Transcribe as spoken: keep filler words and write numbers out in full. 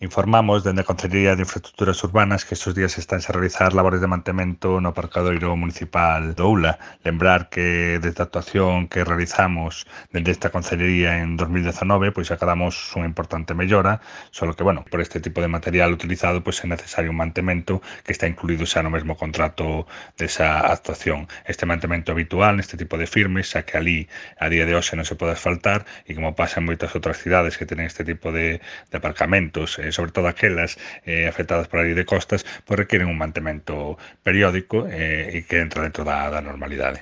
Informamos dende a Consellería de Infraestructuras Urbanas que estes días estanse a realizar labores de mantemento no aparcadoiro municipal do Oula. Lembrar que desde a actuación que realizamos dende esta Consellería en dos mil dezanove, pois acadamos unha importante mellora, só que, bueno, por este tipo de material utilizado, pois é necesario un mantemento que está incluído xa no mesmo contrato desa actuación. Este mantemento habitual neste tipo de firmes, xa que ali a día de hoxe non se pode asfaltar e como pasa en moitas outras cidades que tenen este tipo de, de aparcamentos, eh, sobre todo aquelas eh, afectadas por a lei de costas, pois requieren un mantemento periódico eh, e que entra dentro da, da normalidade.